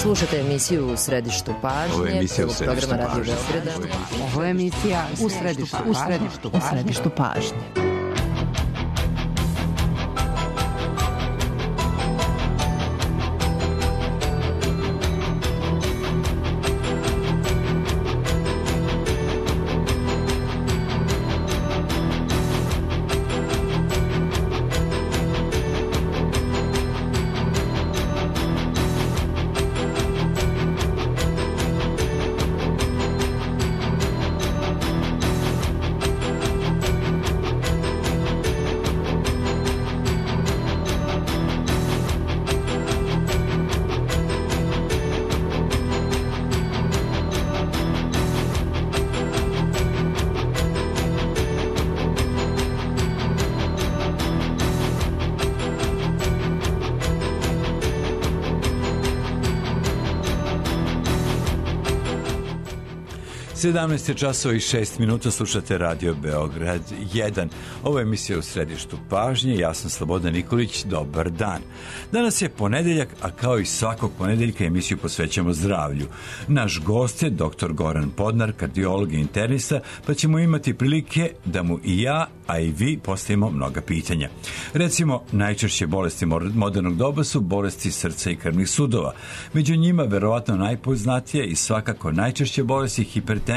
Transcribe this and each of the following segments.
Slušate emisiju U središtu pažnje. Ovo je emisija U središtu programa Radio pažnje. Beograda. Ovo je emisija U središtu pažnje. Sedamnaest časova i 6 minuta, slušate Radio Beograd 1. Ovo je emisija U središtu pažnje, ja sam Slobodan Nikolić, dobar dan. Danas je ponedeljak, a kao i svakog ponedeljka emisiju posvećamo zdravlju. Naš gost je dr. Goran Podnar, kardiolog i internista, pa ćemo imati prilike da mu i ja, a i vi postavimo mnoga pitanja. Recimo, najčešće bolesti modernog doba su bolesti srca i krvnih sudova. Među njima verovatno najpoznatije i svakako najčešće bolesti hipertenzija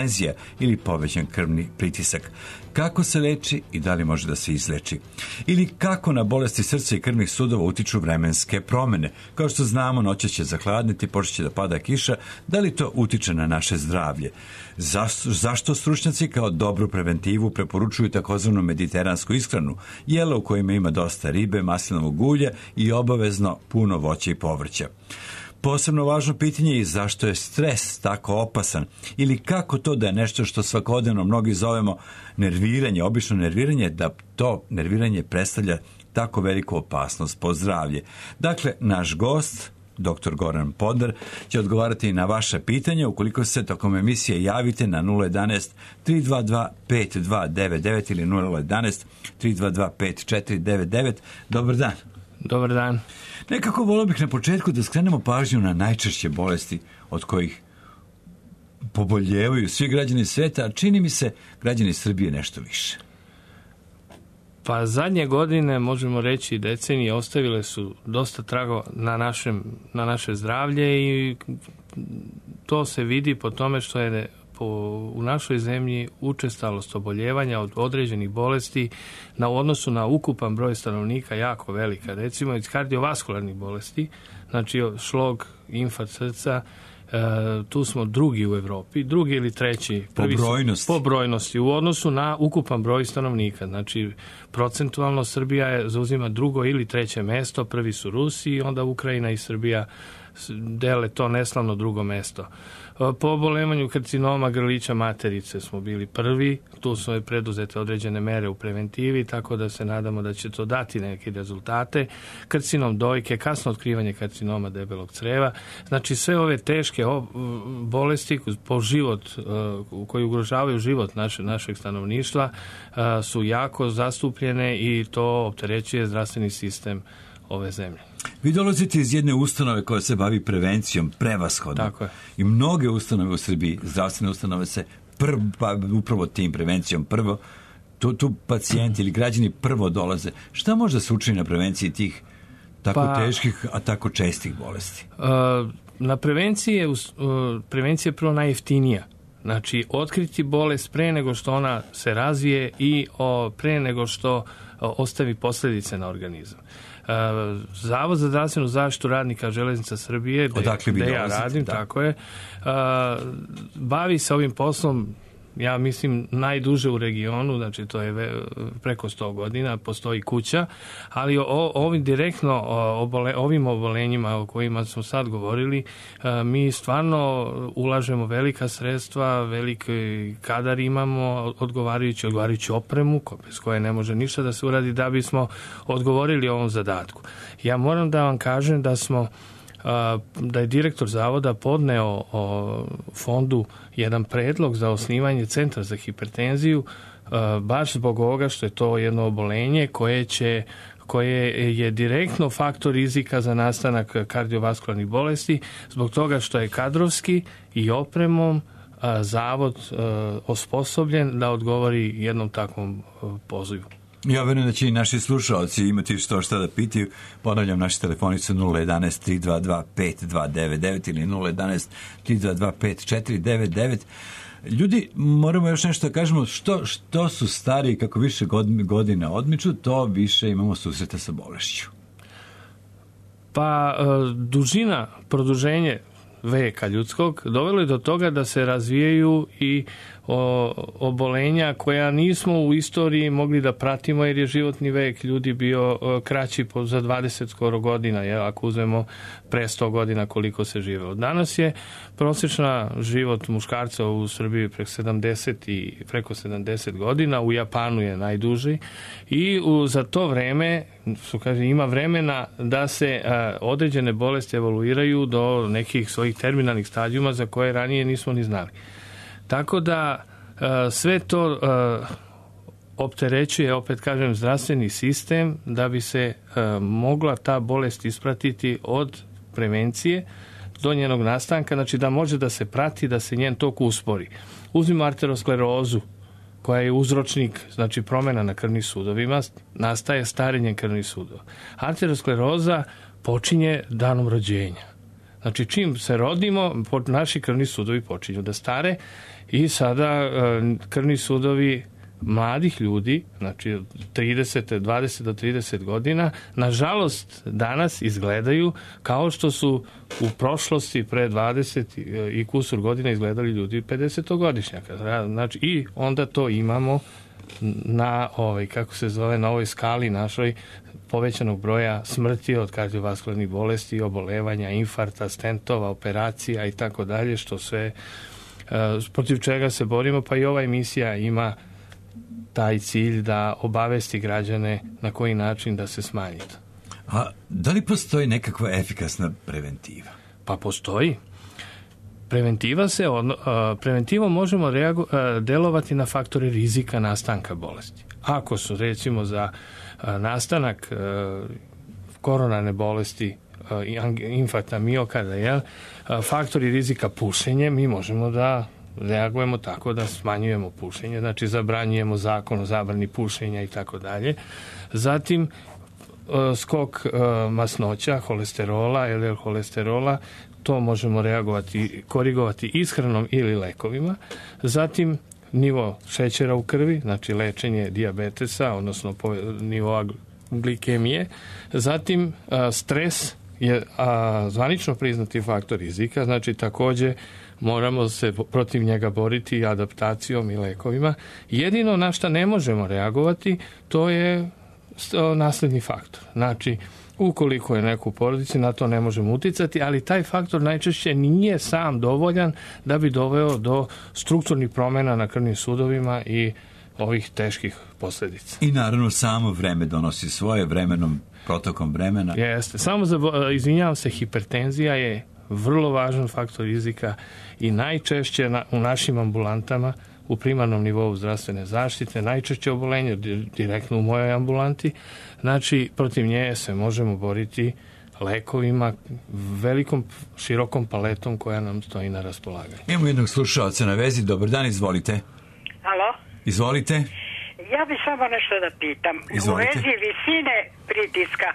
ili povećan krvni pritisak. Kako se leči i da li može da se izleči? Ili kako na bolesti srca i krvnih sudova utiču vremenske promene? Kao što znamo, noće će zahladniti, počet će da pada kiša. Da li to utiče na naše zdravlje? Zašto stručnjaci kao dobru preventivu preporučuju takozvanu mediteransku ishranu, jela u kojima ima dosta ribe, maslinovog ulja i obavezno puno voća i povrća? Posebno važno pitanje je zašto je stres tako opasan ili kako to da je nešto što svakodnevno mnogi zovemo nerviranje, obično nerviranje, da to nerviranje predstavlja tako veliku opasnost po zdravlje. Dakle, naš gost, dr. Goran Podnar, će odgovarati na vaše pitanja ukoliko se tokom emisije javite na 011 322 5299 ili 011 322 5499. Dobar dan. Dobar dan. Nekako volio bih na početku da skrenemo pažnju na najčešće bolesti od kojih poboljevaju svi građani sveta, a čini mi se građani Srbije nešto više. Pa zadnje godine, možemo reći decenije, ostavile su dosta tragova na naše zdravlje i to se vidi po tome što je u našoj zemlji učestalost oboljevanja od određenih bolesti u odnosu na ukupan broj stanovnika jako velika. Recimo iz kardiovaskularnih bolesti, znači šlog, infarkt srca, tu smo drugi u Evropi, drugi ili treći po brojnosti u odnosu na ukupan broj stanovnika. Znači procentualno Srbija zauzima drugo ili treće mesto, prvi su Rusi, onda Ukrajina i Srbija dele to neslavno drugo mesto. Po obolevanju karcinoma grlića materice smo bili prvi, tu su preduzete određene mere u preventivi, tako da se nadamo da će to dati neke rezultate. Karcinom dojke, kasno otkrivanje karcinoma debelog creva, znači sve ove teške bolesti po život, koji ugrožavaju život našeg stanovništva su jako zastupljene i to opterećuje zdravstveni sistem ove zemlje. Vi dolazite iz jedne ustanove koja se bavi prevencijom, prevashodno. Tako je. I mnoge ustanove u Srbiji, zdravstvene ustanove se upravo tim prevencijom prvo, tu pacijenti ili građani prvo dolaze. Šta može da se učini na prevenciji tih tako teških, a tako čestih bolesti? Na prevencija je prvo najjeftinija. Znači, otkriti bolest pre nego što ona se razvije i pre nego što ostavi posljedice na organizam. Zavod za zdravstvenu zaštitu radnika Železnica Srbije, gde ja radim, tako je, bavi se ovim poslom, ja mislim, najduže u regionu, znači to je preko 100 godina, postoji kuća, ali ovim direktno ovim obolenjima o kojima smo sad govorili, mi stvarno ulažemo velika sredstva, veliki kadar imamo, odgovarajući opremu, bez koje ne može ništa da se uradi da bismo odgovorili ovom zadatku. Ja moram da vam kažem da je direktor zavoda podneo fondu jedan predlog za osnivanje centra za hipertenziju baš zbog ovoga što je to jedno obolenje koje je direktno faktor rizika za nastanak kardiovaskularnih bolesti, zbog toga što je kadrovski i opremom zavod osposobljen da odgovori jednom takvom pozivu. Ja verujem da će i naši slušalci imati šta da pitaju. Ponavljam, naši telefonice 011 322 5299 ili 011 322 5499. Ljudi, moramo još nešto da kažemo, što su stariji, kako više godina odmiču, to više imamo susreta sa bolešću. Pa dužina, produženje veka ljudskog dovelo je do toga da se razvijaju i obolenja koja nismo u istoriji mogli da pratimo, jer je životni vek ljudi bio kraći za 20 skoro godina, ako uzmemo pre 100 godina koliko se živelo. Danas je prosječna život muškarca u Srbiji preko 70 godina, u Japanu je najduži i za to vreme ima vremena da se određene bolesti evoluiraju do nekih svojih terminalnih stadijuma za koje ranije nismo ni znali. Tako da sve to opterećuje, opet kažem, zdravstveni sistem da bi se mogla ta bolest ispratiti od prevencije do njenog nastanka, znači da može da se prati, da se njen tok uspori. Uzmimo arterosklerozu, koja je uzročnik, znači promjena na krvnim sudovima, nastaje starenjem krvnih sudova. Arteroskleroza počinje danom rođenja. Znači, čim se rodimo, naši krvni sudovi počinju da stare i sada krvni sudovi mladih ljudi, znači 20 do 30 godina, nažalost danas izgledaju kao što su u prošlosti pre 20 i kusur godina izgledali ljudi 50-godišnjaka. Znači, i onda to imamo na na ovoj skali našoj povećanog broja smrti od kardiovaskularnih bolesti, obolevanja, infarta, stentova, operacija i tako dalje, što sve protiv čega se borimo, pa i ova emisija ima taj cilj da obavesti građane na koji način da se smanji to. A da li postoji nekakva efikasna preventiva? Pa postoji. Preventivom možemo delovati na faktore rizika nastanka bolesti. Ako su, recimo, za nastanak koronarne bolesti, infarkta miokarda, faktori rizika pušenje, mi možemo da reagujemo tako da smanjujemo pušenje, znači zabranjujemo zakon o zabrani pušenja i tako dalje. Zatim skok masnoća, holesterola, LDL holesterola, to možemo korigovati ishranom ili lekovima. Zatim nivo šećera u krvi, znači lečenje dijabetesa, odnosno nivoa glikemije. Zatim stres je zvanično priznati faktor rizika, znači takođe moramo se protiv njega boriti adaptacijom i lekovima. Jedino na šta ne možemo reagovati, to je nasledni faktor. Znači, ukoliko je neko u porodici, na to ne možemo uticati, ali taj faktor najčešće nije sam dovoljan da bi doveo do strukturnih promjena na krvnim sudovima i ovih teških posljedica. I naravno samo vreme donosi svoje, protokom vremena. Jeste. Samo izvinjavam se, hipertenzija je vrlo važan faktor rizika i najčešće u našim ambulantama u primarnom nivou zdravstvene zaštite, najčešće obolenje direktno u mojoj ambulanti, znači protiv nje se možemo boriti lekovima, velikom, širokom paletom koja nam stoji na raspolaganju. Imamo jednog slušalca na vezi. Dobar dan, izvolite. Alo? Izvolite. Ja bih samo nešto da pitam. Izvolite. U vezi visine pritiska.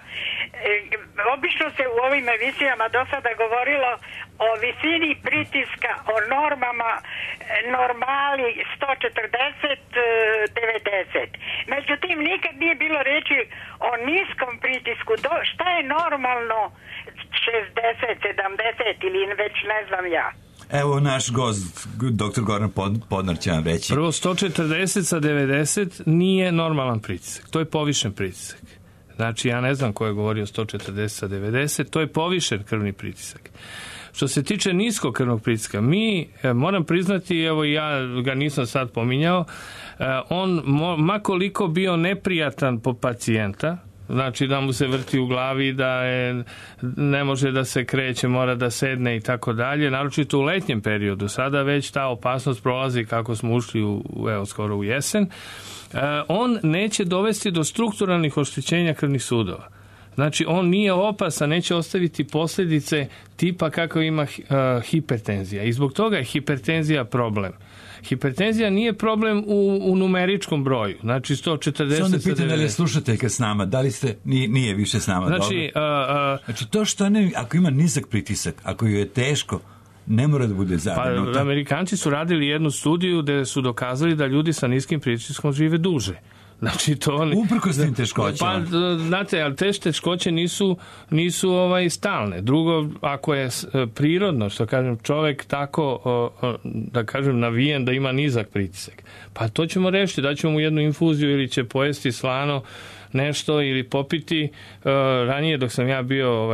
Obično se u ovim emisijama do sada govorilo o visini pritiska, o normama, normali 140-90. Međutim, nikad nije bilo reči o niskom pritisku. Šta je normalno 60-70 ili već ne znam ja? Evo naš gost, dr. Goran Podnar će vam reći. Prvo, 140 sa 90 nije normalan pritisak. To je povišen pritisak. Znači, ja ne znam ko je govorio 140 sa 90, to je povišen krvni pritisak. Što se tiče niskog krvnog pritiska, moram priznati, evo ja ga nisam sad pominjao, on, makoliko bio neprijatan po pacijenta, znači da mu se vrti u glavi, ne može da se kreće, mora da sedne i tako dalje, naročito u letnjem periodu. Sada već ta opasnost prolazi kako smo ušli skoro u jesen. On neće dovesti do strukturalnih oštećenja krvnih sudova. Znači, on nije opasan, neće ostaviti posljedice tipa kako ima hipertenzija. I zbog toga je hipertenzija problem. Hipertenzija nije problem u numeričkom broju. Znači, 140... Onda pitam da li je slušateljka s nama, da li ste... Nije više s nama. Znači, znači to što ako ima nizak pritisak, ako joj je teško, ne mora da bude zabrinuta. Pa, Amerikanci su radili jednu studiju gde su dokazali da ljudi sa niskim pritiskom žive duže. Znači, uprkos tim teškoćama. Pa, znate, ali te teškoće nisu stalne. Drugo, ako je prirodno, što kažem, čovek tako, da kažem, navijen da ima nizak pritisak, pa to ćemo rešiti, daćemo mu jednu infuziju ili će pojesti slano nešto ili popiti. Ranije dok sam ja bio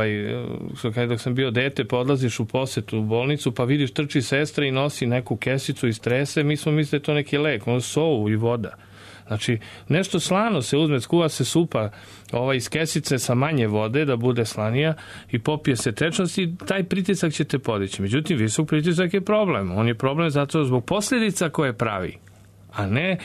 dok sam bio dete, pa odlaziš u posetu u bolnicu, pa vidiš trči sestra i nosi neku kesicu iz trese, mi smo mislili to neki lek, ono sovu i voda. Znači, nešto slano se uzme, skuva se supa iz kesice sa manje vode da bude slanija i popije se tečnost i taj pritisak će te podići. Međutim, visok pritisak je problem. On je problem zato zbog posljedica koje pravi. A ne,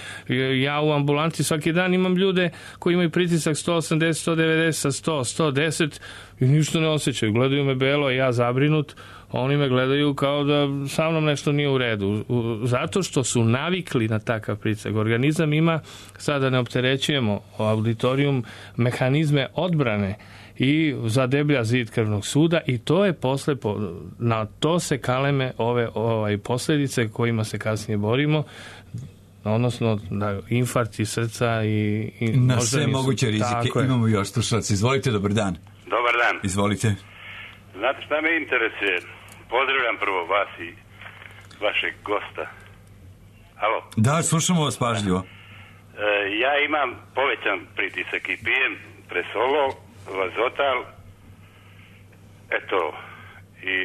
ja u ambulanti svaki dan imam ljude koji imaju pritisak 180, 190, 100, 110 i ništa ne osjećaju. Gledaju me belo, ja zabrinut, oni me gledaju kao da sa mnom nešto nije u redu. Zato što su navikli na takav pritisak. Organizam ima, sada ne opterećujemo auditorijum, mehanizme odbrane i zadeblja zid krvnog suda i to je posle, na to se kaleme ove posljedice kojima se kasnije borimo, odnosno infarkti srca i na sve moguće rizike. Imamo još slušalci. Izvolite, dobar dan. Dobar dan. Izvolite. Znate šta me interesuje? Pozdravljam prvo vas i vašeg gosta. Halo? Da, slušamo vas pažljivo. Ja imam povećan pritisak i pijem Presolol, Vazotal, eto, i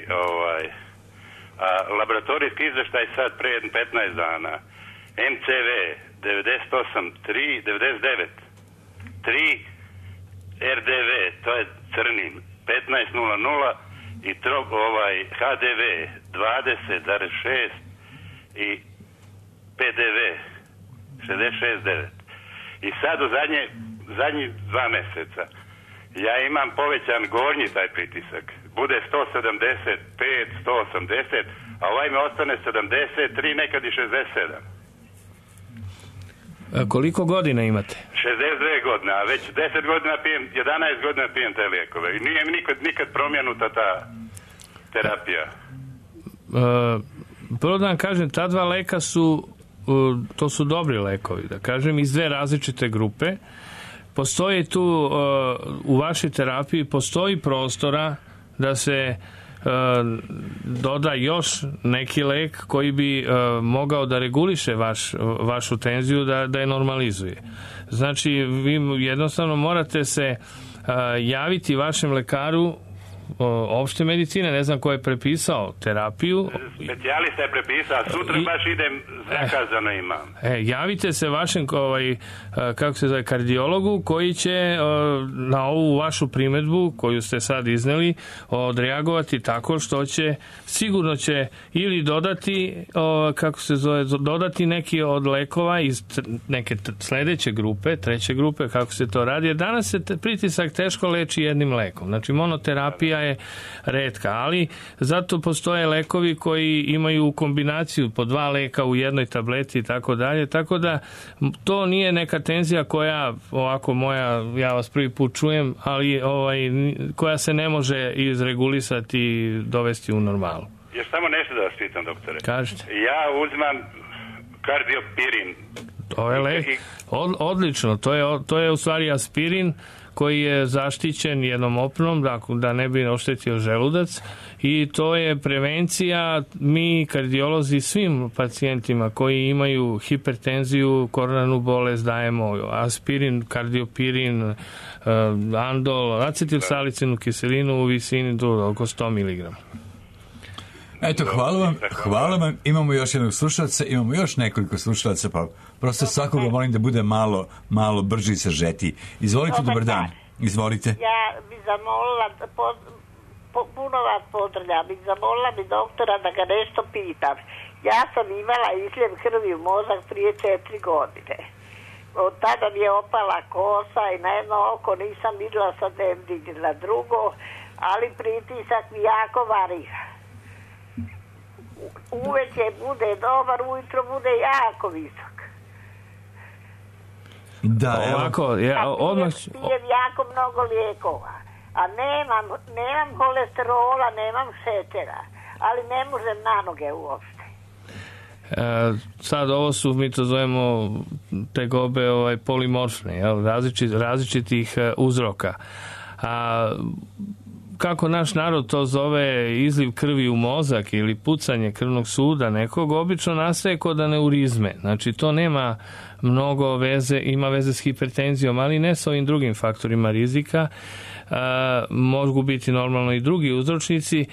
a laboratorijski izveštaj sad pre 15 dana. MCV 98, 3, 99, 3, RDV, to je crnin, 15.00 i HDV 20,6 i PDV 66,9. I sad u zadnjih 2 meseca ja imam povećan gornji taj pritisak. Bude 175, 180, a ovaj me ostane 73, nekad i 67. Koliko godina imate? 62 godine, a već 10 godina pijem, 11 godina pijem te lijekove. I nije mi nikad promijenuta ta terapija. Prvo da vam kažem, ta 2 leka to su dobri lekovi, da kažem, iz 2 različite grupe. Postoji tu, u vašoj terapiji, postoji prostora da se doda još neki lek koji bi mogao da reguliše vašu tenziju, da je normalizuje. Znači, vi jednostavno morate se javiti vašem lekaru opšte medicine, ne znam ko je prepisao terapiju. Specijalista je prepisao, sutra baš idem, zakazano imam. Javite se vašem kardiologu koji će na ovu vašu primedbu koju ste sad izneli odreagovati tako što sigurno će ili dodati dodati neki od lekova iz neke sledeće grupe, treće grupe, kako se to radi, jer danas se pritisak teško leči jednim lekom. Znači, monoterapija je retka, ali zato postoje lekovi koji imaju kombinaciju po 2 leka u jednoj tableti i tako dalje, tako da to nije neka tenzija koja ovako ja vas prvi put čujem, ali koja se ne može izregulisati i dovesti u normalu. Još samo nešto da vas pitam, doktore. Kažete. Ja uzimam kardiopirin. To je lek. Odlično, to je u stvari aspirin koji je zaštićen jednom opnom da ne bi oštetio želudac i to je prevencija. Mi kardiolozi svim pacijentima koji imaju hipertenziju, koronarnu bolest dajemo aspirin, kardiopirin, andol, acetilsalicilnu kiselinu u visini do oko 100 mg. Eto, hvala vam. Imamo još jednog slušalca, imamo još nekoliko slušalaca, pa prosto svakoga molim da bude malo brži i sažetiji. Izvolite, dobar dan. Izvolite. Ja bi zamolila, puno vas pozdravljam, bi zamolila bi doktora da ga nešto pitam. Ja sam imala izljev krvi u mozak prije 4 godine. Od tada mi je opala kosa i na jedno oko nisam vidjela sa demdinji na drugo, ali pritisak mi jako varira. Uveče bude dobar, ujutro bude jako visok. Da, ovako, pijem jako mnogo lijekova, a nemam kolesterola, nemam šećera, ali ne možem na noge uopšte. Sad ovo su, mi to zovemo tegobe polimorfne, različitih uzroka. Kako naš narod to zove izliv krvi u mozak ili pucanje krvnog suda nekog, obično nastaje kod aneurizme. Znači to nema mnogo veze, ima veze s hipertenzijom, ali ne sa ovim drugim faktorima rizika. Mogu biti normalno i drugi uzročnici.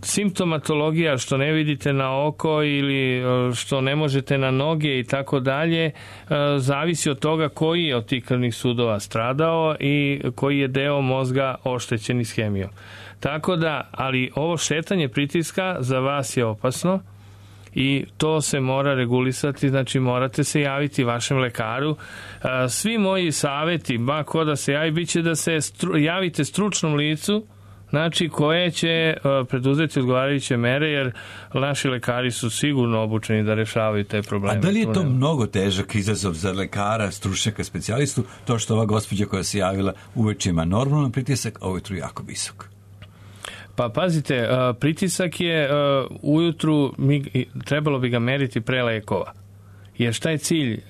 Simptomatologija što ne vidite na oko ili što ne možete na noge i tako dalje zavisi od toga koji je od tih krvnih sudova stradao i koji je deo mozga oštećen ishemijom. Tako da, ali ovo šetanje pritiska za vas je opasno i to se mora regulisati, znači morate se javiti vašem lekaru. Svi moji savjeti, ko da se javi, bit će da se javite stručnom licu, znači koje će preduzeti odgovarajuće mere, jer naši lekari su sigurno obučeni da rešavaju te probleme. A da li je to mnogo težak izazov za lekara, stručnjaka, specijalistu, to što ova gospođa koja se javila uveče ima normalan pritisak, a ujutru jako visok? Pa pazite, pritisak je ujutru, trebalo bi ga meriti pre lekova. Jer šta je cilj,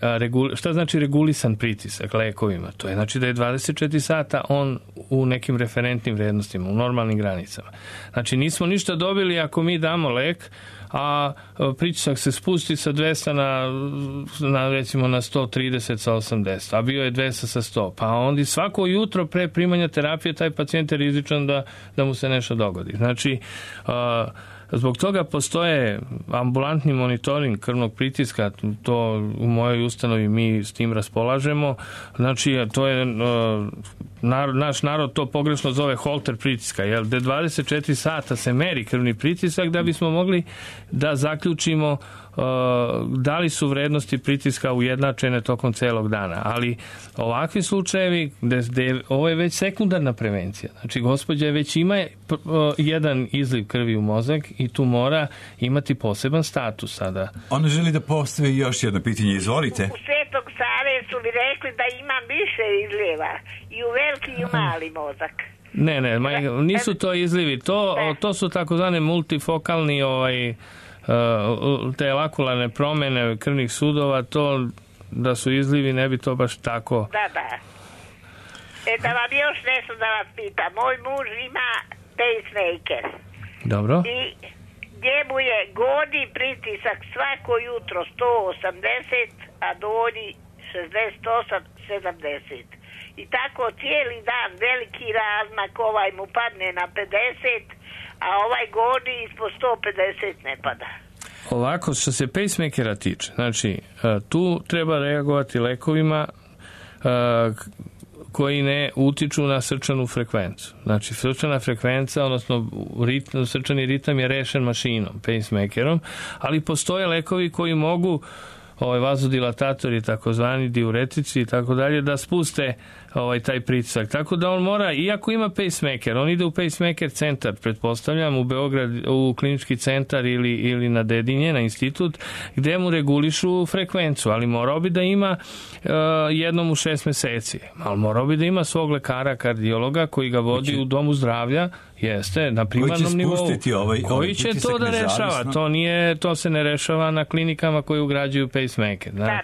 šta znači regulisan pritisak lekovima? To je znači da je 24 sata on u nekim referentnim vrednostima, u normalnim granicama. Znači nismo ništa dobili ako mi damo lek, a pritisak se spusti sa 200 na recimo na 130 sa 80, a bio je 200 sa 100. Pa onda svako jutro pre primanja terapije taj pacijent je rizičan da mu se nešto dogodi. Znači, zbog toga postoje ambulantni monitoring krvnog pritiska, to u mojoj ustanovi mi s tim raspolažemo. Znači, to je naš narod to pogrešno zove holter pritiska, jer da 24 sata se meri krvni pritisak da bismo mogli da zaključimo da li su vrednosti pritiska ujednačene tokom celog dana. Ali ovakvi slučajevi gde ovo je već sekundarna prevencija. Znači, gospođa već ima jedan izliv krvi u mozak i tu mora imati poseban status sada. Ona želi da postavi još jedno pitanje. Izvolite. U Svetog Save su mi rekli da imam više izljeva i u veliki i u mali mozak. Ne, nisu to izlivi. To su takozvane multifokalni te lakularne promjene krvnih sudova, to da su izlivi ne bi to baš tako. Da. Da vam još nešto da vas pitam. Moj muž ima pacemaker. Dobro. I njemu je gornji pritisak svako jutro 180, a donji 68-70. I tako cijeli dan veliki razmak, ovaj mu padne na 50, a ovaj gornji ispod 150 ne pada. Ovako, što se pacemakera tiče, znači, tu treba reagovati lekovima koji ne utiču na srčanu frekvenciju. Znači, srčana frekvencija, odnosno srčani ritam je rešen mašinom, pacemakerom, ali postoje lekovi koji mogu vazodilatatori, takozvani diuretici i tako dalje, da spuste taj pritisak. Tako da on mora, iako ima pacemaker, on ide u pacemaker centar, pretpostavljam, u Beograd, u klinički centar ili na Dedinje, na institut, gde mu regulišu frekvenciju, ali morao bi da ima jednom u 6 meseci. Ali morao bi da ima svog lekara, kardiologa, koji ga vodi u domu zdravlja, jeste, na primarnom nivou. Koji će to da rešava? To se ne rešava na klinikama koji ugrađuju pacemaker. Da.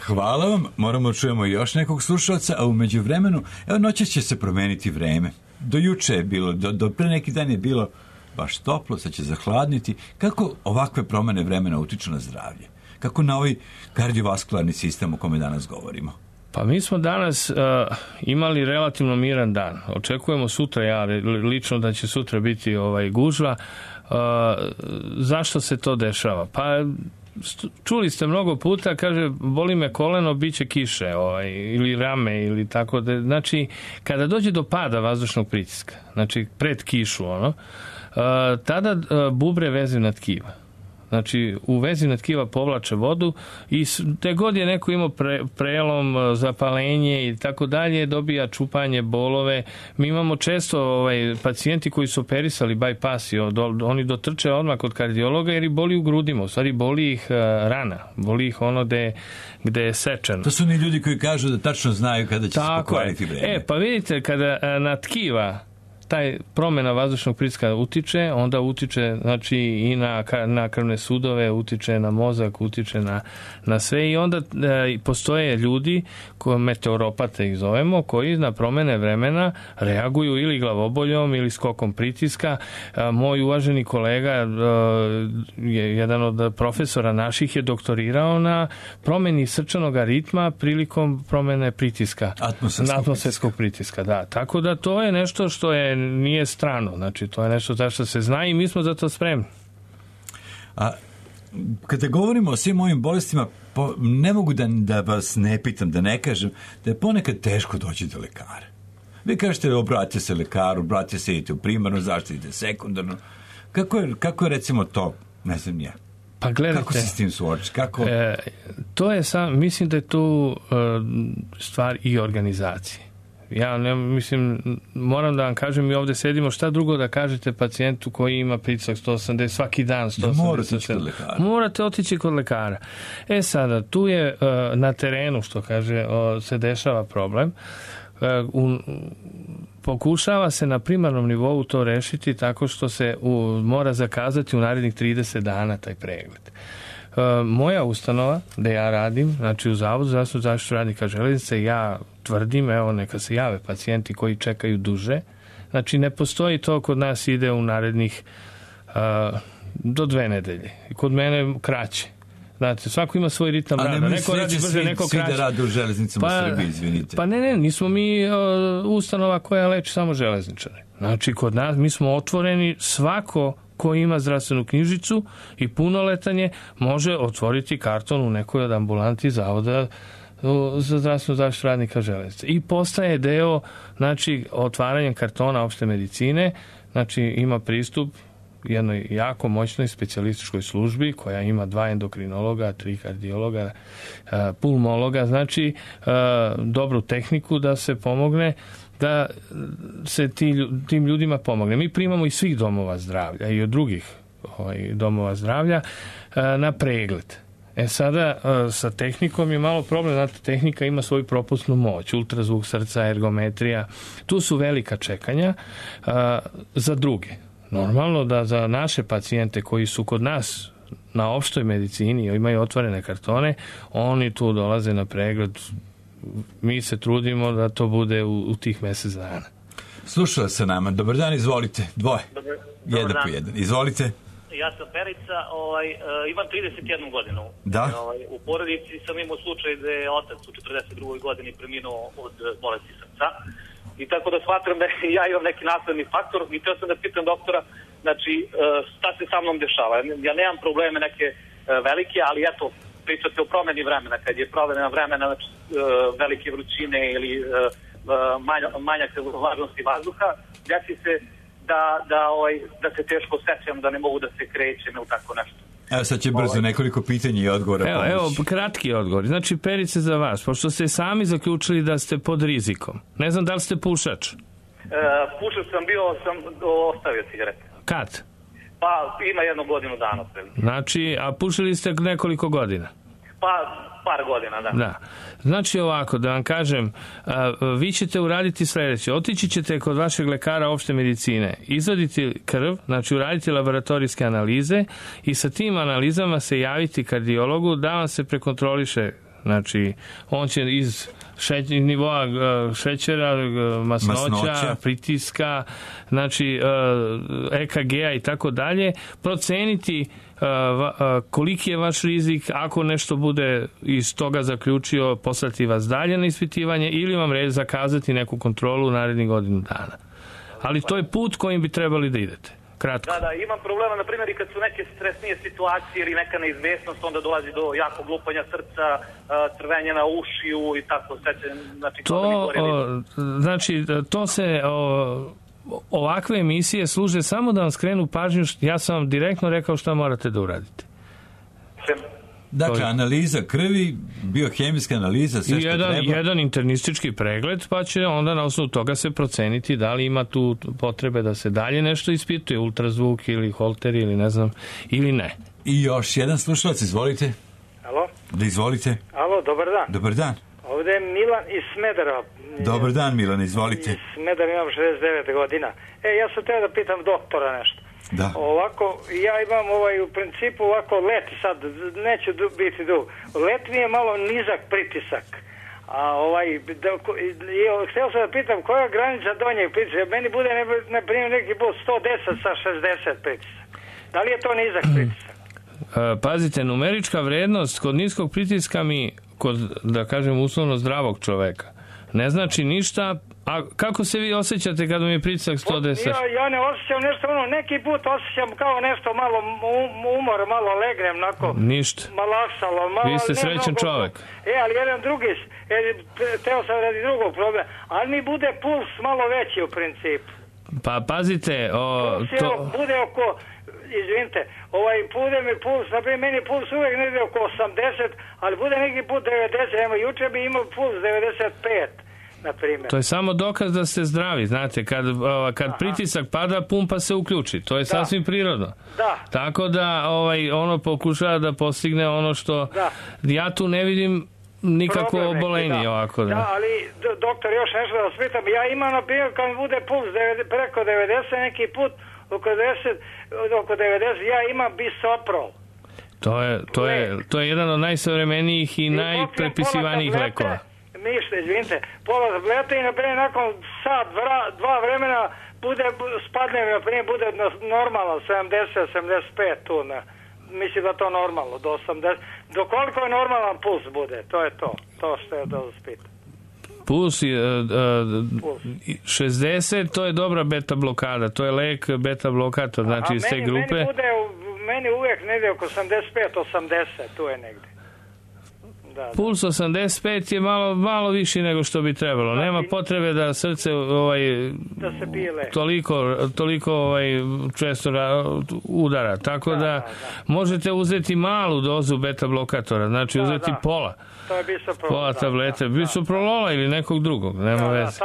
Hvala vam, moramo čujemo još nekog slušalca, a u međuvremenu, evo noćas će se promeniti vreme. Do juče je bilo, do pre neki dan je bilo baš toplo, sad će zahladniti. Kako ovakve promene vremena utiču na zdravlje? Kako na ovaj kardiovaskularni sistem o kome danas govorimo? Pa mi smo danas imali relativno miran dan. Očekujemo sutra, ja lično da će sutra biti gužva. Zašto se to dešava? Pa čuli ste mnogo puta, kaže, boli me koleno, bit će kiše, ili rame, ili tako da, znači, kada dođe do pada vazdušnog pritiska, znači, pred kišu, tada bubre vezivna tkiva. Znači, u vezivna tkiva povlače vodu i te god je neko imao prelom, zapalenje i tako dalje, dobija čupanje, bolove. Mi imamo često pacijenti koji su operisali bypass, oni dotrče odmah kod kardiologa jer ih boli u grudima. U stvari, boli ih rana, boli ih ono gde je sečeno. To su oni ljudi koji kažu da tačno znaju kada će se pokvariti vreme. Pa vidite, kada na tkiva taj promjena vazdušnog pritiska utiče, onda utiče, znači, i na krvne sudove, utiče na mozak, utiče na sve i onda postoje ljudi, meteoropate ih zovemo, koji na promjene vremena reaguju ili glavoboljom ili skokom pritiska. Moj uvaženi kolega, jedan od profesora naših, je doktorirao na promjeni srčanog ritma prilikom promjene pritiska. Atmosferskog pritiska, da. Tako da to je nešto što nije strano, znači to je nešto za što se zna i mi smo za to spremni. A kada govorimo o svim ovim bolestima, ne mogu da vas ne pitam, da ne kažem da je ponekad teško doći do lekara. Vi kažete, obratite se lekaru, obratite se, idite u primarnu zaštitu, idite sekundarno. Kako je recimo to, ne znam ja, pa gledajte, kako se s tim suoči? To je mislim da je tu stvar i organizacije. Ja mislim, moram da vam kažem, mi ovdje sedimo, šta drugo da kažete pacijentu koji ima pritisak 180 svaki dan, 180. Morate otići kod lekara. Sada, tu je na terenu, što kaže, se dešava problem. Pokušava se na primarnom nivou to rešiti tako što se mora zakazati u narednih 30 dana taj pregled. Moja ustanova, gde ja radim, znači u Zavodu za zdravstvenu zaštitu radnika železnice, ja tvrdim, evo, neka se jave pacijenti koji čekaju duže. Znači, ne postoji to kod nas ide u narednih do 2 nedelje. Kod mene kraće. Znate, svako ima svoj ritam rada. Neko radi brže, neko kraće. Svi da rade u železnicama u Srbiji, izvinite. Pa ne, nismo mi ustanova koja leči samo železničare. Znači, kod nas mi smo otvoreni, svako ko ima zdravstvenu knjižicu i punoletanje može otvoriti karton u nekoj od ambulanti Zavoda za zdravstvenu zaštitu radnika železnice. I postaje deo, znači, otvaranjem kartona opšte medicine, znači ima pristup jednoj jako moćnoj specijalističkoj službi koja ima 2 endokrinologa, 3 kardiologa, pulmologa, znači dobru tehniku da se pomogne, da se tim ljudima pomogne. Mi primamo iz svih domova zdravlja i od drugih domova zdravlja na pregled. Sada sa tehnikom je malo problem, znate, tehnika ima svoju propusnu moć, ultrazvuk srca, ergometrija, tu su velika čekanja za druge. Normalno da za naše pacijente koji su kod nas na opštoj medicini imaju otvorene kartone, oni tu dolaze na pregled. Mi se trudimo da to bude u tih mjesec dana. Slušala sa nama. Dobar dan, izvolite. Jedan po jedan. Izvolite. Ja sam Perica, imam 31 godinu. Da. U porodici sam imao slučaj da je otac u 42. godini preminuo od bolesti srca. I tako da smatram da ja imam neki nasledni faktor i htio sam da pitam doktora, znači, šta se sa mnom dešava. Ja nemam probleme neke velike, ali eto, pričate o promjeni vremena. Kad je promjena vremena, znači, velike vrućine ili manjak vlažnosti vazduha, desi se da se teško sećam, da ne mogu da se krećem ili tako nešto. Evo sad će brzo nekoliko pitanja i odgovora. Evo, kratki odgovor. Znači, Perice, za vas, pošto ste sami zaključili da ste pod rizikom. Ne znam da li ste pušač? Pušač sam bio, ostavio cigarete. Kad? Pa ima 1 godinu dana. Znači, a pušili ste nekoliko godina? Pa par godina, da. Da. Znači ovako, da vam kažem, vi ćete uraditi sljedeće. Otići ćete kod vašeg lekara opšte medicine, izvaditi krv, znači uraditi laboratorijske analize i sa tim analizama se javiti kardiologu da vam se prekontroliše. Znači, on će iz nivoa šećera, masnoća, pritiska, znači EKG-a i tako dalje, proceniti koliki je vaš rizik, ako nešto bude iz toga zaključio, poslati vas dalje na ispitivanje ili vam zakazati neku kontrolu u narednih godinu dana. Ali to je put kojim bi trebali da idete. kratko. Da, imam problema, na primjer, i kad su neke stresnije situacije ili neka neizvesnost, onda dolazi do jakog lupanja srca, crvenja na ušiju i tako, znači, to se... Ovakve emisije služe samo da vam skrenu pažnju, ja sam vam direktno rekao šta morate da uradite. Dakle, analiza krvi, biohemijska analiza, sve što treba. Jedan internistički pregled, pa će onda na osnovu toga se proceniti da li ima tu potrebe da se dalje nešto ispituje, ultrazvuk ili holter ili ne znam, ili ne. I još jedan slušalac, izvolite. Alo? Da, izvolite. Alo, dobar dan. Dobar dan. Ovdje je Milan iz Smedera. Dobar dan, Milan, izvolite. Iz Smedera imam 69 godina. Ja sam teo da pitam doktora nešto. Da. Ovako, ja imam u principu ovako let, sad neću biti dug. Let mi je malo nizak pritisak. A htio sam da pitam koja je granica donjeg pritiska. Meni bude na primjer neki put 110 sa 60 pritisak. Da li je to nizak pritisak? Pazite, numerička vrednost kod niskog pritiska kod, da kažem, uslovno zdravog čoveka ne znači ništa. A kako se vi osjećate kada mi je pritisak 110? Ja ne osjećam nešto, neki put osjećam kao nešto malo umor, malo legnem, onako. Ništa. Malaksalo. Vi ste srećan čovek. Ali jedan drugi, teo sam radi drugog problema, ali mi bude puls malo veći u principu. Pa pazite, bude oko, izvinite, bude mi puls, naprimjer, meni puls uvijek negdje oko 80, ali bude neki put 90, juče bi imao puls 95. To je samo dokaz da ste zdravi, znate, kad pritisak pada, pumpa se uključi, to je sasvim prirodno. Da. Tako da ono pokušava da postigne ono što ja tu ne vidim nikakvo obolenje ovako. Da, ali doktor, još nešto da vas pitam, ja imam na primjer kad mi bude puls preko 90, neki put oko 90, ja imam bisoprol. To je jedan od najsavremenijih i najprepisivanijih lekova. Ništa, izvinite, pola tablete i naprimjer nakon sat, dva vremena spadne mi, naprimjer, bude normalno 70-75 tu, mislim da to normalno, do 80, do koliko je normalan puls bude, to je to što je da spita. Puls 60, to je dobra beta blokada, to je lek beta blokator, znači iz te grupe. Meni uvijek negdje oko 75-80, tu je negdje. Puls 85 je malo viši nego što bi trebalo. Nema potrebe da srce da se pile. Toliko često udara. Tako da možete uzeti malu dozu beta blokatora, znači uzeti pola. To je bisoprolol. Pola tablete, bisoprolola ili nekog drugog, nema veze.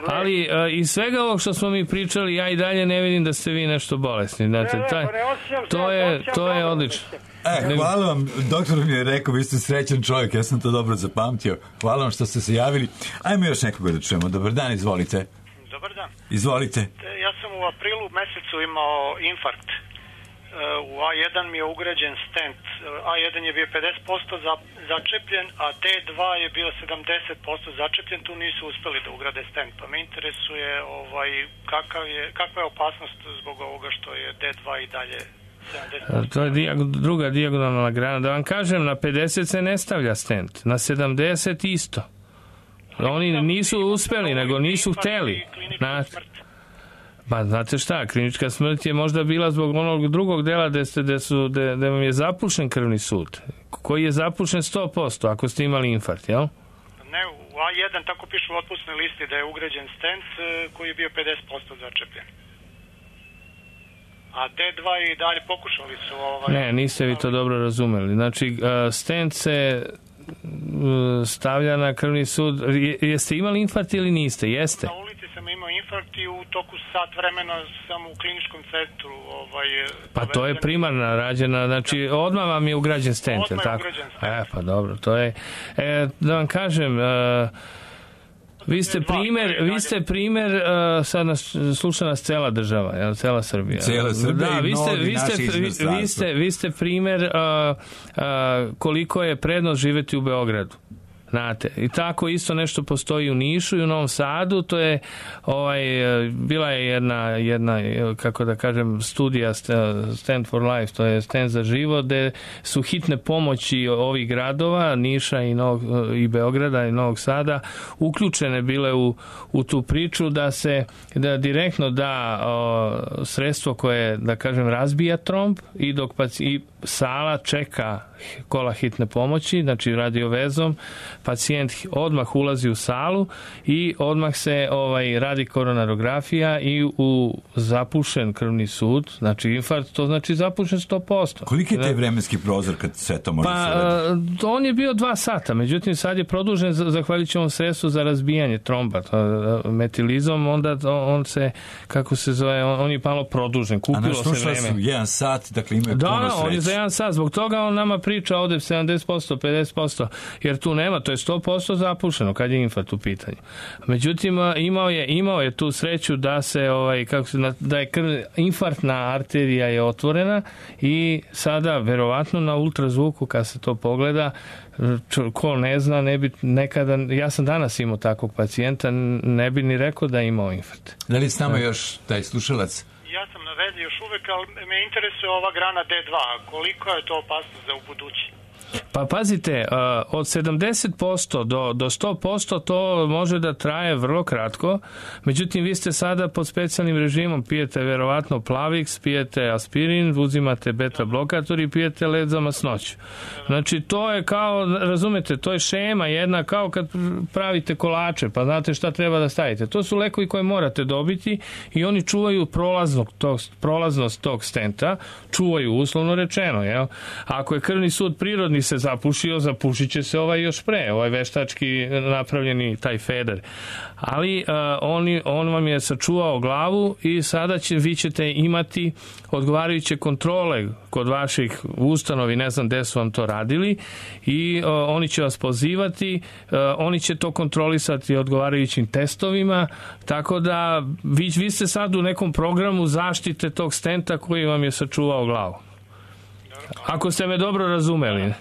Ali iz svega ovog što smo mi pričali, ja i dalje ne vidim da ste vi nešto bolesni. Znate, to je odlično. Hvala vam, doktor mi je rekao, vi ste srećan čovjek, ja sam to dobro zapamtio. Hvala vam što ste se javili. Ajmo još nekoga da čujemo. Dobar dan, izvolite. Dobar dan. Izvolite. Ja sam u aprilu mesecu imao infarkt. U A1 mi je ugrađen stent. A1 je bio 50% začepljen, a D2 je bio 70% začepljen. Tu nisu uspeli da ugrade stent. Pa me interesuje kakva je opasnost zbog ovoga što je D2 i dalje 70%. To je druga dijagonalna grana. Da vam kažem, na 50 se ne stavlja stent. Na 70 isto. Oni nisu uspeli, nego nisu hteli. Pa znate šta, klinička smrt je možda bila zbog onog drugog dela gde vam je zapušen krvni sud, koji je zapušen 100%, ako ste imali infarkt, jel? Ne, u A1 tako piše u otpusnoj listi da je ugrađen stent koji je bio 50% začepljen. A D2 i dalje pokušali su... Ne, niste vi to dobro razumeli. Znači, stent se stavlja na krvni sud. Jeste imali infarkt ili niste? Jeste? Na ulici sam imao infarkt i u toku sat vremena sam u kliničkom centru. Pa to je primarna rađena, znači odmah vam je ugrađen stent, je li tako? Odmah je ugrađen stent. Pa dobro, to je... da vam kažem... Vi ste primer, sad sluša nas cela država, cela Srbija. Cela Srbija i mnogi naši vi ste primer koliko je prednost živeti u Beogradu. Znate, i tako isto nešto postoji u Nišu i u Novom Sadu. To je bila je jedna kako da kažem studija Stand for Life, to je Stand za život, gde su hitne pomoći ovih gradova Niša i Beograda i Novog Sada uključene bile u tu priču da direktno da sredstvo koje, da kažem, razbija tromb i dok i sala čeka kola hitne pomoći, znači radiovezom, pacijent odmah ulazi u salu i odmah se radi koronarografija i u zapušen krvni sud, znači infarkt, to znači zapušen 100%. Koliki je taj vremenski prozor kad sve to može se radi? On je bio 2 sata, međutim sad je produžen zahvaljujući ovom sredstvu za razbijanje tromba, metilizom, onda on se, kako se zove, on je malo produžen, kupilo se vreme. A su 1 sat, dakle imaju puno sreće. On je za 1 sat, zbog toga on nama priča ovde 70%, 50%, jer tu nema, to je 100% zapušeno kad je infarkt u pitanju. Međutim, imao je tu sreću da se, da je infarktna arterija je otvorena i sada, verovatno na ultrazvuku, kad se to pogleda, ko ne zna, ne bi nekada, ja sam danas imao takvog pacijenta, ne bi ni rekao da je imao infarkt. Da li s nama još taj slušalac? Ja sam na vezi još uvek, ali me interesuje ova grana D2. Koliko je to opasno za ubuduće? Pa pazite, od 70% do 100% to može da traje vrlo kratko, međutim vi ste sada pod specijalnim režimom, pijete verovatno Plavix, pijete aspirin, uzimate beta blokator i pijete led za masnoću. Znači to je kao, razumete, to je šema jedna, kao kad pravite kolače, pa znate šta treba da stavite. To su lekovi koje morate dobiti i oni čuvaju prolaznost tog stenta, čuvaju uslovno rečeno, jel? Ako je krvni sud prirodni se zapušio, zapušit će se još pre, veštački napravljeni taj feder. Ali on vam je sačuvao glavu i sada vi ćete imati odgovarajuće kontrole kod vaših ustanovi, ne znam gde su vam to radili, i oni će vas pozivati, oni će to kontrolisati odgovarajućim testovima, tako da vi ste sad u nekom programu zaštite tog stenta koji vam je sačuvao glavu. Ako ste me dobro razumeli.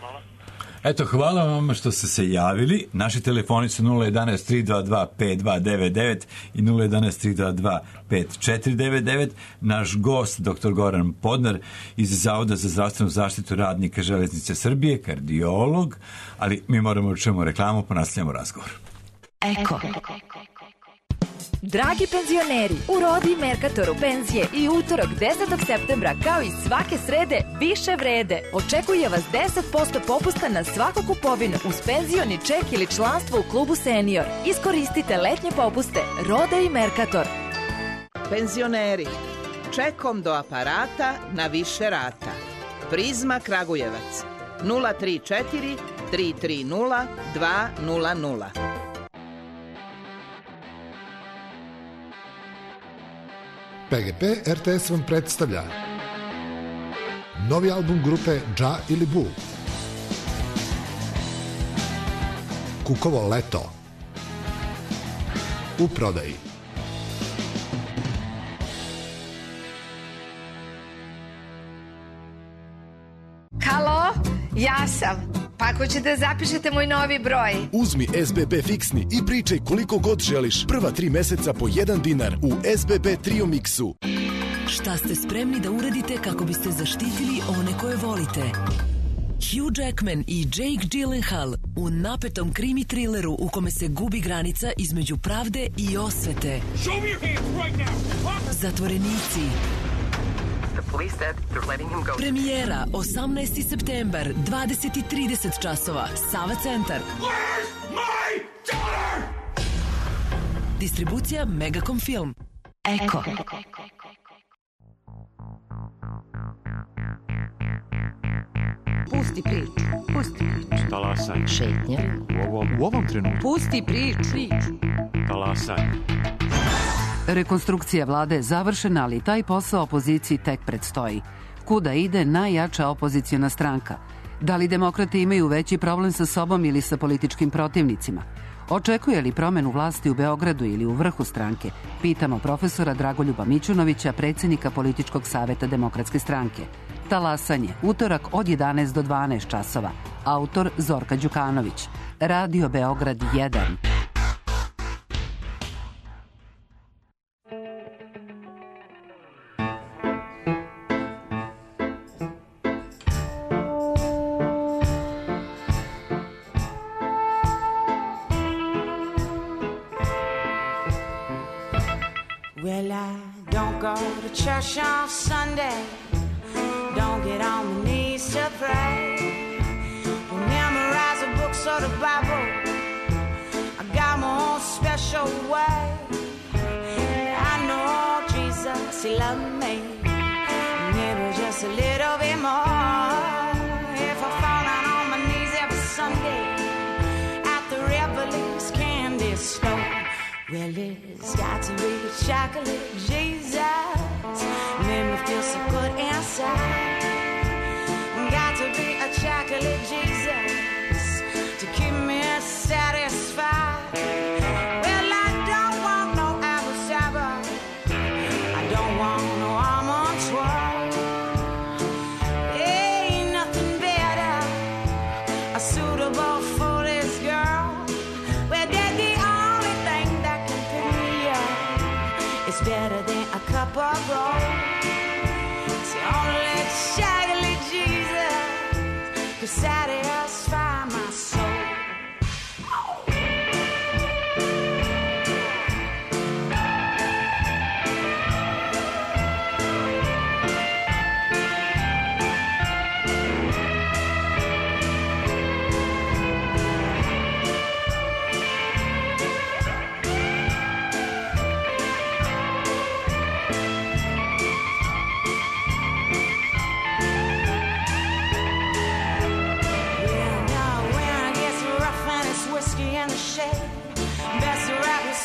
Eto, hvala vam što ste se javili. Naši telefoni su 011-322-5299 i 011-322-5499. Naš gost, dr. Goran Podnar iz Zavoda za zdravstvenu zaštitu radnika Železnice Srbije, kardiolog, ali mi moramo čujemo reklamu, pa nastavljamo razgovor. Eko. Dragi penzioneri, u Rodi Merkatoru penzije i utorak 10. septembra kao i svake srede više vrede. Očekuje vas 10% popusta na svaku kupovinu uz penzioni ček ili članstvo u klubu Senior. Iskoristite letnje popuste Roda i Merkator. Penzioneri, čekom do aparata na više rata. Prizma Kragujevac 034 330 200. PGP RTS vam predstavlja novi album grupe Dža ili Bu, Kukovo leto, u prodaji. Halo, ja sam. Pa ako ćete zapišete moj novi broj. Uzmi SBB fiksni i pričaj koliko god želiš. Prva 3 meseca po $1 u SBB Trio Mixu. Šta ste spremni da uradite kako biste zaštitili one koje volite? Hugh Jackman i Jake Gyllenhaal u napetom krimi trileru u kome se gubi granica između pravde i osvete. Zatvorenici. Premijera 18. septembar, 20:30 časova, Sava centar. Distribucija Megacom Film. Eko. Pusti priču. Talasaj. Šetnja. U ovom trenutku. Pusti priču. Talasaj. Rekonstrukcija vlade je završena, ali taj posao opoziciji tek predstoji. Kuda ide najjača opoziciona stranka? Da li demokrate imaju veći problem sa sobom ili sa političkim protivnicima? Očekuje li promenu vlasti u Beogradu ili u vrhu stranke? Pitamo profesora Dragoljuba Mićunovića, predsjednika Političkog saveta Demokratske stranke. Talasanje, utorak od 11 do 12 časova. Autor Zorka Đukanović. Radio Beograd 1. Well, I don't go to church on Sunday, don't get on my knees to pray, don't memorize the books or the Bible, I got my own special way. I know Jesus, He loved me, maybe just a little bit more. If I fall down on my knees every Sunday at the Revelings candy store, well, it's got to be chocolate Jesus, made me feel so good inside. Got to be a chocolate Jesus to keep me satisfied. Well, I don't want no apple cider, I don't want no almond twirl. Ain't nothing better suitable for this girl. Well, they're the only thing that can pick me up. It's better than a cup of gold. It's the only chocolate Jesus to satisfy my soul.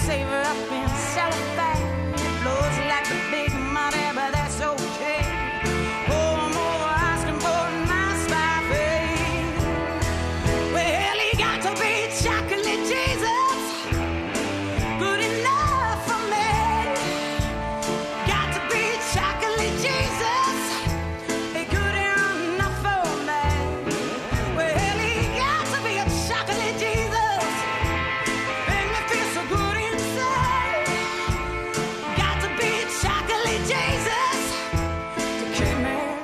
Save her up in cellophane. It blows like a big money, but that's okay. Oh, I'm over asking for a nice buffet. Well, he got to be chocolate Jesus, good enough for me. Got to be chocolate Jesus, good enough for me. Well, he got to be a chocolate Jesus, make me feel so good.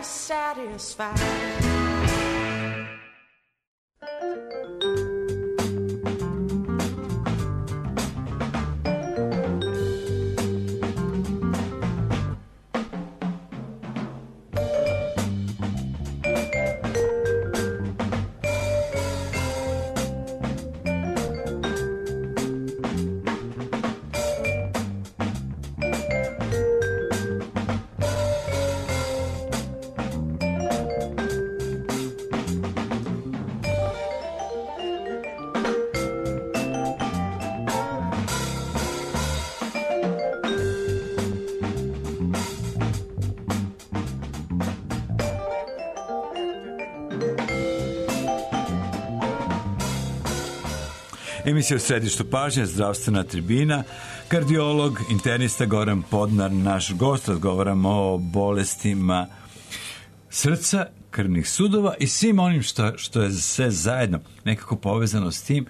Satisfied. Emisija u središtu pažnje, zdravstvena tribina, kardiolog, internista Goran Podnar, naš gost. Razgovaramo o bolestima srca, krvnih sudova i svim onim što je sve zajedno nekako povezano s tim.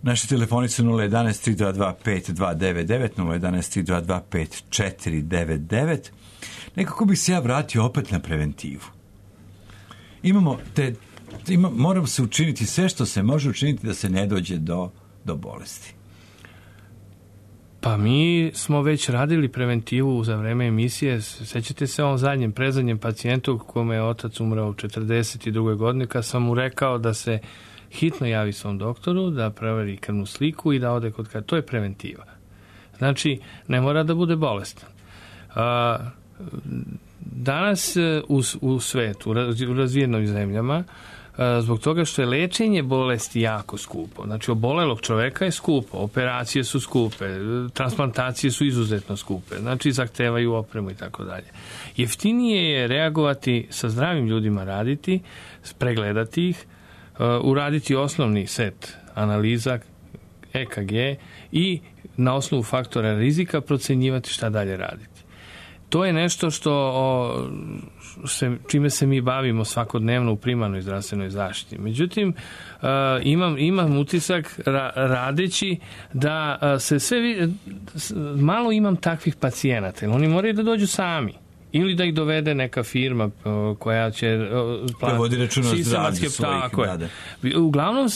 Naše telefonice 011-322-5299, 011-322-5499. Nekako bih se ja vratio opet na preventivu. Moramo se učiniti sve što se može učiniti da se ne dođe do bolesti. Pa mi smo već radili preventivu za vreme emisije. Sećate se ovom predzadnjem pacijentu kome je otac umrao u 42. godini, kad sam mu rekao da se hitno javi svom doktoru, da proveri krvnu sliku i da ode kod kada. To je preventiva. Znači, ne mora da bude bolestan. Danas u svetu, u razvijenim zemljama, zbog toga što je lečenje bolesti jako skupo. Znači, obolelog čoveka je skupo, operacije su skupe, transplantacije su izuzetno skupe, znači zahtevaju opremu i tako dalje. Jeftinije je reagovati, sa zdravim ljudima raditi, pregledati ih, uraditi osnovni set analiza, EKG i na osnovu faktora rizika procenjivati šta dalje raditi. to je nešto čime se mi bavimo svakodnevno u primarnoj zdravstvenoj zaštiti. Međutim, imam utisak radeći da se malo imam takvih pacijenata. Oni moraju da dođu sami. Ili da ih dovede neka firma koja će vodi računa o zdravlju svojih. Uglavnom,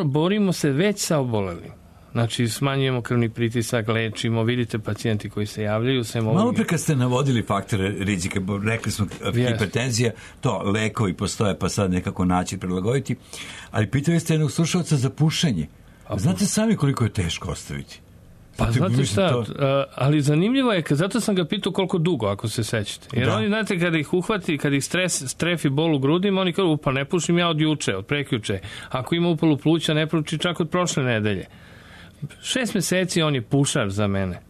borimo se već sa obolelim. Znači, smanjujemo krvni pritisak, lečimo, vidite pacijenti koji se javljaju. Malo pre kad ste navodili faktore rizika, rekli smo hipertenzija, to lekovi postoje pa sad nekako naći prilagoditi, ali pitali ste jednog slušalca za pušenje. Znate sami koliko je teško ostaviti? Pa znate šta, ali zanimljivo je, zato sam ga pitao koliko dugo, ako se sećate. Jer oni, znate, kada ih uhvati, kada ih strefi bol u grudima, oni kažu, pa ne pušim ja od juče, od prekjuče. Ako ima upalu pluća, ne puši čak od prošle nedelje. 6 meseci on je pušar za mene.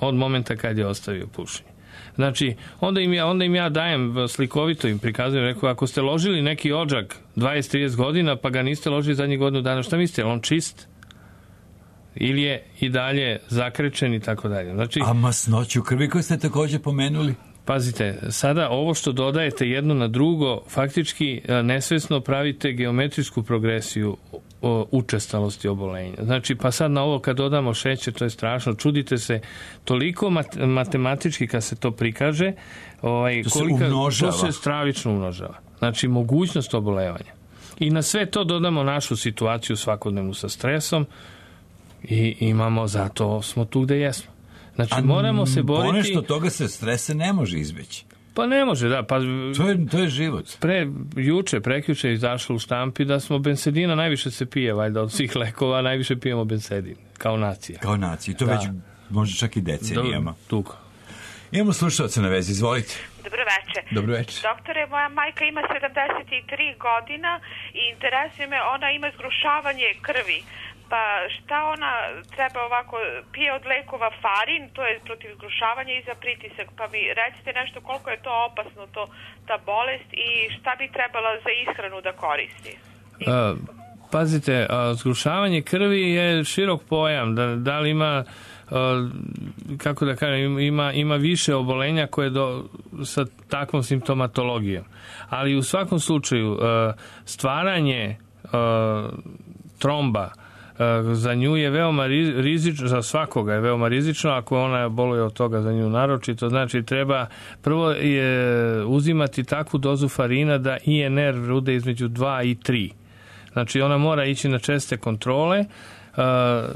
Od momenta kad je ostavio pušenje. Znači, onda im ja dajem, slikovito im prikazujem, rekao, ako ste ložili neki odžak 20-30 godina, pa ga niste ložili zadnjih godinu dana, šta mislite, on čist? Ili je i dalje zakrečen i tako dalje. Znači, a masnoću krvi koju ste također pomenuli? Pazite, sada ovo što dodajete jedno na drugo, faktički nesvesno pravite geometrijsku progresiju učestalosti obolenja. Znači, pa sad na ovo kad dodamo šećer, to je strašno. Čudite se, toliko matematički kad se to prikaže, to se stravično umnožava. Znači, mogućnost obolevanja. I na sve to dodamo našu situaciju svakodnevnu sa stresom i imamo, zato smo tu gde jesmo. Znači, moramo se boriti... Ponešto toga se stresa ne može izbeći. Pa ne može, da. Pa, to je život. Prekjuče izašlo u štampi da smo bensedina, najviše se pije, valjda, od svih lekova, najviše pijemo bensedin, kao nacija. Kao nacija. I to već može čak i decenijama. Dugo. Imamo slušalce na vezi, izvolite. Dobro večer. Dobro večer. Doktore, moja majka ima 73 godina i interesuje me, ona ima zgrušavanje krvi. Pa šta ona treba ovako, pije od lekova farin, to je protiv zgrušavanja i za pritisak, pa mi recite nešto koliko je to opasno, ta bolest i šta bi trebala za ishranu da koristi? Pazite, zgrušavanje krvi je širok pojam, da li ima, kako da kažem, ima više obolenja koje sa takvom simptomatologijom, ali u svakom slučaju stvaranje tromba za nju je veoma rizično, za svakoga je veoma rizično, ako ona boluje od toga za nju naročito, znači treba prvo uzimati takvu dozu farina da INR bude između 2 i 3. Znači ona mora ići na česte kontrole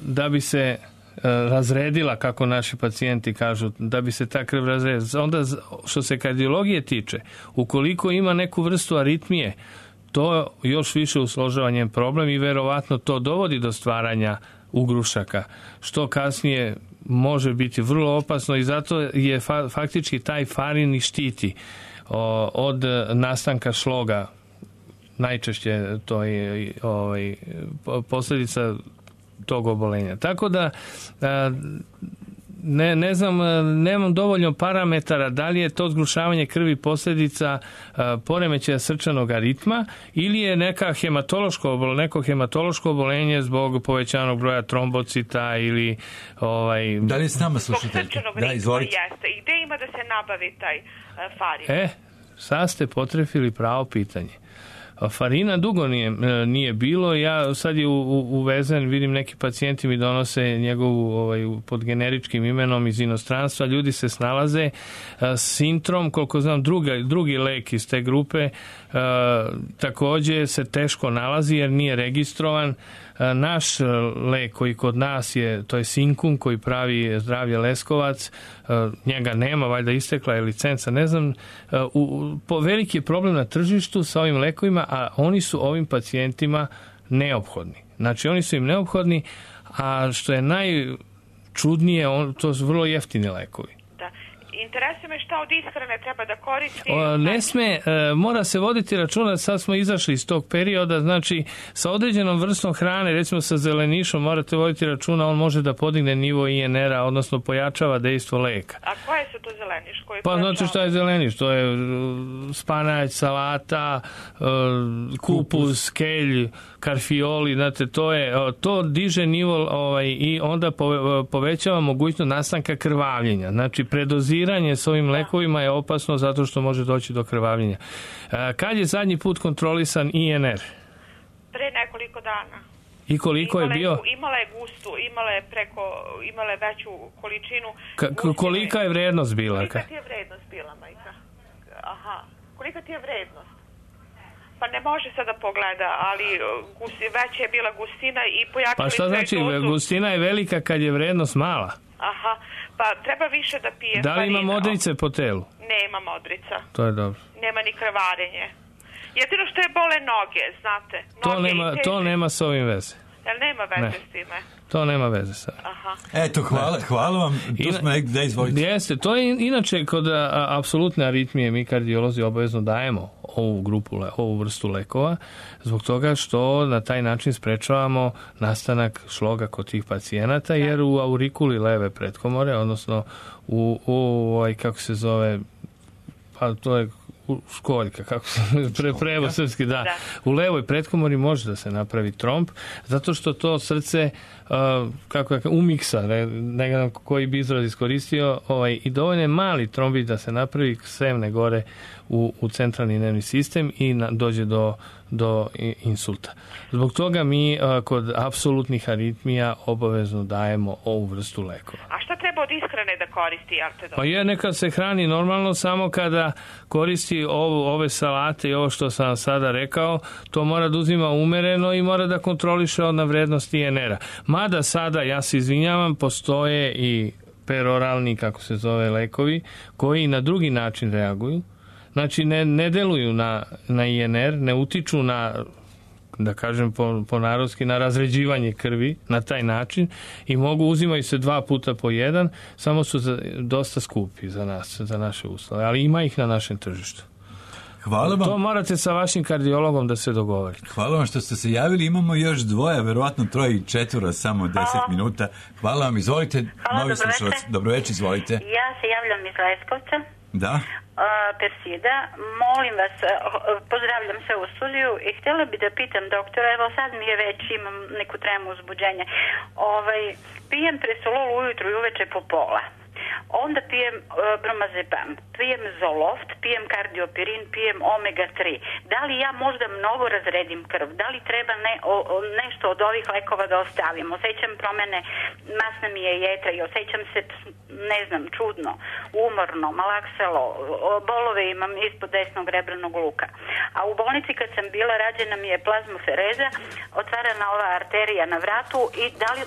da bi se razredila, kako naši pacijenti kažu, da bi se ta krv razredila. Onda, što se kardiologije tiče, ukoliko ima neku vrstu aritmije, to još više usložava njen problem i verovatno to dovodi do stvaranja ugrušaka, što kasnije može biti vrlo opasno i zato je faktički taj farin i štiti od nastanka šloga. Najčešće to je posljedica tog obolenja. Tako da ne znam, nemam dovoljno parametara da li je to zgrušavanje krvi posljedica poremećaja srčanog aritma ili je neko hematološko obolenje zbog povećanog broja trombocita ili Da li je s nama slušateljka? Da, izvolite. Jeste. I gde ima da se nabavi taj farin? Sad ste potrefili pravo pitanje. Farina dugo nije bilo, ja sad je uvezen, vidim neki pacijenti mi donose njegovu pod generičkim imenom iz inostranstva, ljudi se snalaze, Sintrom, koliko znam drugi lek iz te grupe također se teško nalazi jer nije registrovan. Naš lek koji kod nas je, to je Sinkum koji pravi Zdravlje Leskovac, njega nema, valjda istekla je licenca, ne znam, veliki je problem na tržištu sa ovim lekovima, a oni su ovim pacijentima neophodni. Znači oni su im neophodni, a što je najčudnije, to su vrlo jeftini lekovi. Interesuje me šta od ishrane treba da koristi. Ne sme, mora se voditi računa, sad smo izašli iz tog perioda, znači sa određenom vrstom hrane, recimo sa zelenišom, morate voditi računa, on može da podigne nivo INR-a, odnosno pojačava dejstvo leka. A koje su to zeleniš? Pa znači šta je zeleniš? To je spanać, salata, kupus, kelj, karfioli, znate, to diže nivo i onda povećava mogućnost nastanka krvavljenja. Znači, predoziranje doziranje s ovim lekovima je opasno zato što može doći do krvavljenja. Kad je zadnji put kontrolisan INR? Pre nekoliko dana. I koliko je bio? Imala je gustu, imala je veću količinu. Kolika je vrednost bila? Kolika ti je vrednost bila, majka? Aha. Kolika ti je vrednost? Pa ne može sada pogleda, ali veća je bila gustina i pojačali... Pa šta znači, gustina je velika kad je vrednost mala? Aha, pa treba više da pije. Da li ima modrice po telu? Nema modrica. To je dobro. Nema ni krvarenje. Jedino što je bole noge, znate. To nema s ovim veze. Jel nema veze s time? To nema veze sa. Aha. Eto, hvala vam. Tu smo da izvolite. Jeste, to je inače kod apsolutne aritmije mi kardiolozi obavezno dajemo ovu vrstu lekova, zbog toga što na taj način sprečavamo nastanak šloga kod tih pacijenata, jer u aurikuli leve pretkomore, odnosno u kako se zove, pa to je školjka, kako se prevo srpski, da. U levoj pretkomori može da se napravi tromb, zato što to srce umiksa, ne znam koji bi izraz iskoristio, i dovoljno je mali trombit da se napravi, sevne gore u centralni nervni sistem i dođe do insulta. Zbog toga mi kod apsolutnih aritmija obavezno dajemo ovu vrstu lekova. A šta treba od ishrane da koristi Artedol? Pa neka se hrani normalno, samo kada koristi ove salate i ovo što sam sada rekao, to mora da uzima umereno i mora da kontroliše na vrednost INR-a. Mada sada, ja se izvinjavam, postoje i peroralni, kako se zove, lekovi, koji na drugi način reaguju. Znači, ne deluju na INR, ne utiču na, da kažem po narodski, na razređivanje krvi na taj način i uzimaju se 2 puta po 1, samo su dosta skupi za nas, za naše uslove, ali ima ih na našem tržištu. Hvala vam. To morate sa vašim kardiologom da se dogovorite. Hvala vam što ste se javili. Imamo još 2, verovatno 3 i 4, samo 10 minuta. Hvala vam, izvolite. Hvala, dobroveče, izvolite. Ja se javljam iz Leskovca. Da. Persida, molim vas, pozdravljam se u studiju i htjela bi da pitam doktora, evo sad mi je već, imam neku tremu uzbuđenja, pijem presolol ujutru i uveče po pola. Onda pijem bromazepam, pijem zoloft, pijem kardiopirin, pijem omega 3. Da li ja možda mnogo razredim krv? Da li treba nešto od ovih lekova da ostavim? Osjećam promene, masna mi je jetra i osjećam se, ne znam, čudno, umorno, malaksalo, bolove imam ispod desnog rebranog luka. A u bolnici kad sam bila, rađena mi je plazmofereza, otvarana ova arterija na vratu i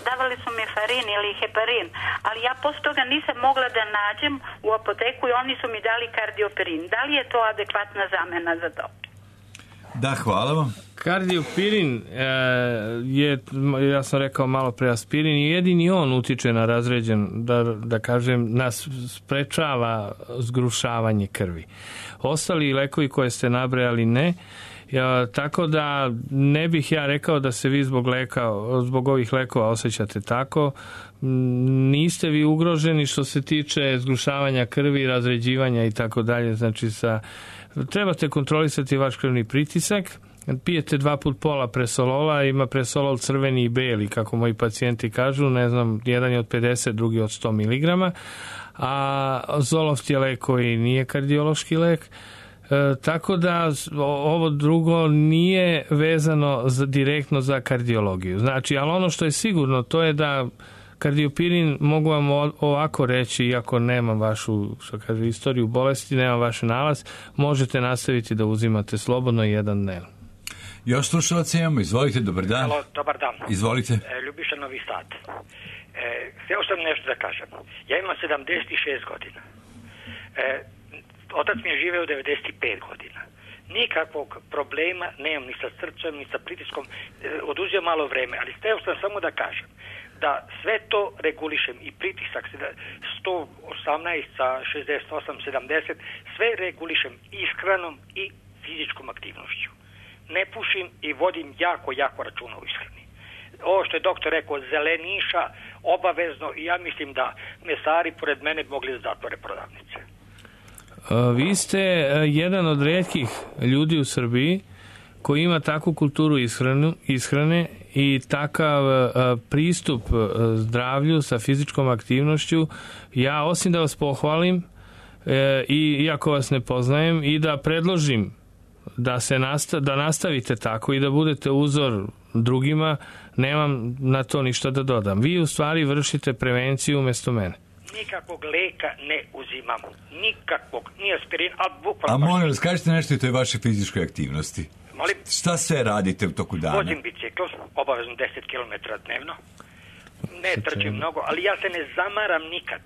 davali su mi farin ili heparin, ali ja posle toga nisam mogla da nađem u apoteku i oni su mi dali kardiopirin. Da li je to adekvatna zamena za to? Da, hvala vam. Kardiopirin je, ja sam rekao malo pre, aspirin i jedini on utiče na razređen, da kažem, nas sprečava zgrušavanje krvi. Ostali lekovi koje ste nabrajali ne, tako da ne bih ja rekao da se vi zbog ovih lekova osjećate tako. Niste vi ugroženi što se tiče zgrušavanja krvi, razređivanja i tako dalje. Znači, trebate kontrolisati vaš krvni pritisak. Pijete 2 puta pola presolola, ima presolol crveni i beli, kako moji pacijenti kažu, ne znam, jedan je od 50, drugi od 100 mg, a zoloft je lek koji nije kardiološki lek. Tako da ovo drugo nije vezano direktno za kardiologiju. Znači, ali ono što je sigurno, to je da kardiopirin, mogu vam ovako reći, iako nemam vašu, što kaže, istoriju bolesti, nemam vaš nalaz, možete nastaviti da uzimate slobodno 1 dnevno. Još slušalaca imamo, izvolite, dobar dan. Halo, dobar dan. Izvolite. Ljubiša, Novi Sad. Htio sam nešto da kažem. Ja imam 76 godina. Otac mi je živeo 95 godina. Nikakvog problema nemam ni sa srcem, ni sa pritiskom. Oduzio malo vreme, ali htio sam samo da kažem da sve to regulišem i pritisak 118 sa 68, 70, sve regulišem ishranom i fizičkom aktivnošću. Ne pušim i vodim jako računa u ishrani. Ovo što je doktor rekao, zeleniša, obavezno, i ja mislim da mesari pored mene mogli da zatvore prodavnice. Vi ste jedan od retkih ljudi u Srbiji koji ima takvu kulturu ishrane i takav pristup zdravlju sa fizičkom aktivnošću. Ja, osim da vas pohvalim, i iako vas ne poznajem, i da predložim da nastavite tako i da budete uzor drugima, nemam na to ništa da dodam. Vi u stvari vršite prevenciju umjesto mene. Nikakvog leka ne uzimam. Nikakvog. Nije aspirin, a bukvalno... A molim vas, kažete nešto i toj vaše fizičkoj aktivnosti. Molim? Šta sve radite u toku dana? Vozim bicikl, obavezno 10 km dnevno. Ne trčim mnogo, ali ja se ne zamaram nikad.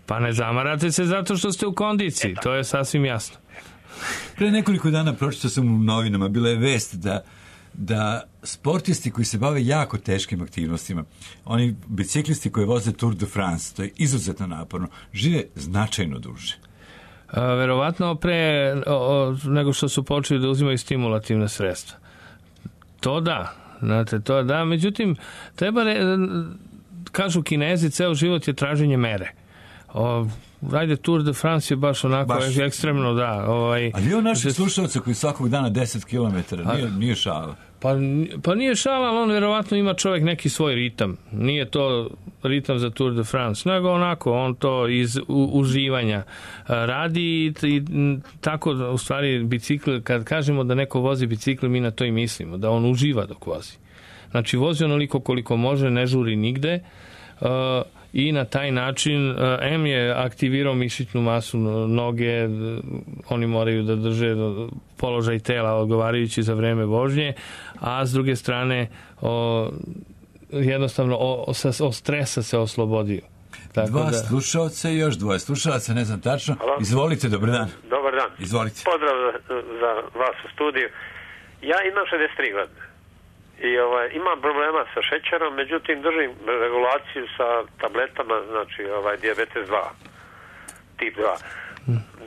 Pa ne zamarate se zato što ste u kondiciji, to je sasvim jasno. Pre nekoliko dana pročitao sam u novinama, bila je vest da sportisti koji se bave jako teškim aktivnostima, oni biciklisti koji voze Tour de France, to je izuzetno naporno, žive značajno duže. Verovatno pre nego što su počeli da uzimaju stimulativne sredstva. To da, znate, to da, međutim, kažu Kinezi, ceo život je traženje mere. Ajde, Tour de France je baš onako ekstremno, da. Ali je naših slušalca koji svakog dana 10 km, nije šala. Pa nije šala, ali on verovatno ima čovjek neki svoj ritam. Nije to ritam za Tour de France, nego onako, on to iz uživanja radi i tako, u stvari, bicikl, kad kažemo da neko vozi bicikl, mi na to i mislimo, da on uživa dok vozi. Znači, vozi onoliko koliko može, ne žuri nigde, i na taj način M je aktivirao mišićnu masu noge, oni moraju da drže položaj tela odgovarajući za vreme vožnje, a s druge strane jednostavno od stresa se oslobodio. Dva slušalca i još dvoje slušalaca, ne znam tačno. Halo? Izvolite, dobar dan. Dobar dan. Izvolite. Pozdrav za vas u studiju. Ja imam 63 godine. I imam problema sa šećerom, međutim držim regulaciju sa tabletama, znači dijabetes 2, tip 2.